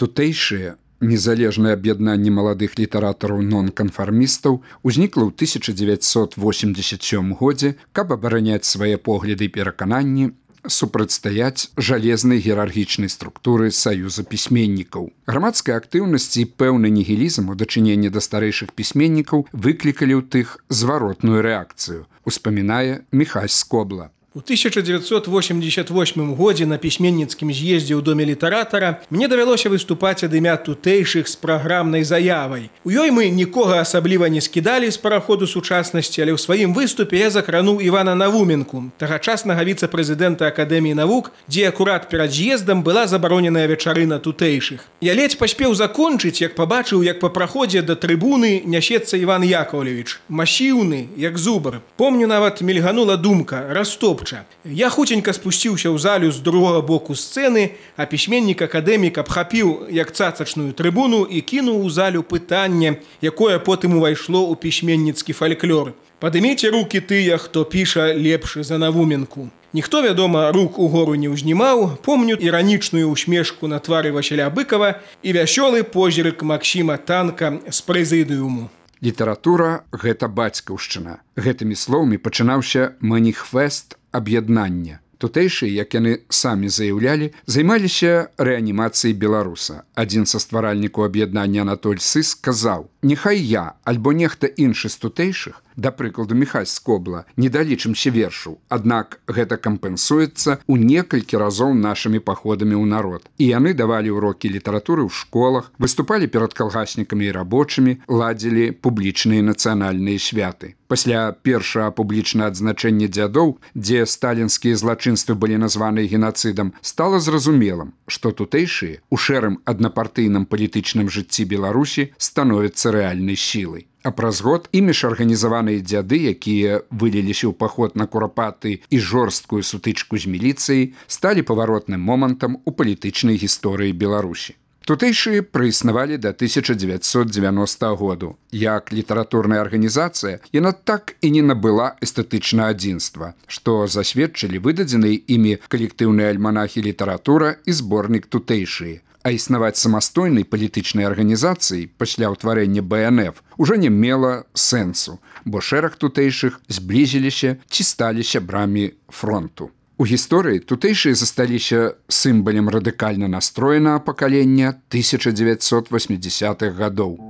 Тутэйшае незалежнае аб'яднанне маладых літаратараў-нонканфармістаў узнікла ў 1987 годзе, каб абараняць свае погляды і перакананні, супрацьстаяць жалезнай іерархічнай структуры саюза пісьменнікаў. Грамадская актыўнасць і пэўны нігілізм у дачыненні да старэйшых пісьменнікаў выклікалі ў тых зваротную рэакцыю, успамінае Міхась Скобла. У 1988 годзе на пісьменніцкім з'ездзе ў доме літаратара мне давялося выступаць ад імя тутэйшых з праграмнай заявай. У ёй мы нікога асабліва не скідалі з параходу сучаснасці, але ў сваім выступе я закрануў Івана Навуменку, тагачаснага віцэ-прэзідэнта Акадэміі навук, дзе акурат перад з'ездам была забароненая вечарына тутэйшых. Я ледзь паспеў закончыць, як пабачыў, як па праходзе да трыбуны нясецца Іван Яковлевіч, масіўны, як зубр. Помню, нават мільганула думка: растоп. Я хуценька спусціўся ў залю з другога боку сцэны, а пісьменнік-акадэмік абхапіў як цацачную трыбуну і кінуў у залю пытанне, якое потым увайшло ў пісьменніцкі фальклор. Падыміце рукі тыя, хто піша лепш за Навуменку. Ніхто, вядома, рук угору не ўзнімаў. Помню іранічную усмешку на твары Васіля Быкава і вясёлы позірк Максіма Танка з прэзідыуму. Літаратура – гэта бацькаўшчына. Гэтымі словамі пачынаўся маніфест аб'яднання. Тутэйшыя, як яны самі заяўлялі, займаліся рэанімацыяй беларуса. Адзін са стваральнікаў аб'яднання Анатоль Сыс сказаў: «Няхай я, альбо нехта іншы з тутэйшых, да прыкладу Міхась Скобла, не далічымся вершаў, аднак гэта кампенсуецца ў некалькі разоў нашымі паходамі ў народ». І яны давалі ўрокі літаратуры ў школах, выступалі перад калгаснікамі і рабочымі, ладзілі публічныя нацыянальныя святы. Пасля першага публічнага адзначэння дзядоў, дзе сталінскія злачынствы былі названы генацыдам, стала зразумелым, што тутэйшыя у шэрым аднапартыйным палітычным жыцці Беларусі становяцца рэальнай сілай. А праз год імі ж арганізаваныя дзяды, якія выліліся ў паход на курапаты і жорсткую сутычку з міліцыяй, сталі паваротным момантам у палітычнай гісторыі Беларусі. Тутэйшыя праіснавалі да 1990 году. Як літаратурная арганізацыя, яна так і не набыла эстэтычнага адзінства, што засведчылі выдадзеныя імі калектыўныя альманахі «Літаратура» і зборнік «Тутэйшыя». А існаваць самастойнай палітычнай арганізацыі пасля ўтварэння БНФ ужо не мела сэнсу, бо шэраг тутэйшых зблізіліся ці сталі сябрамі фронту. У гісторыі тутэйшыя засталіся сімвалам радыкальна настроенага пакалення 1980-х гадоў.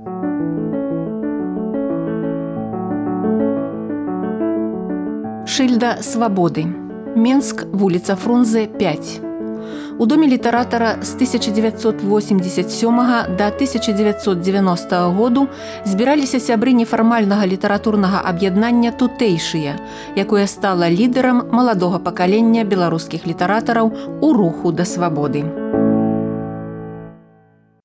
Шыльда свабоды. Менск, вуліца Фрунзе, 5. У доме літаратара з 1987 да 1990 году збіраліся сябры нефармальнага літаратурнага аб'яднання «Тутэйшыя», якое стала лідарам маладога пакалення беларускіх літаратараў у руху да свабоды.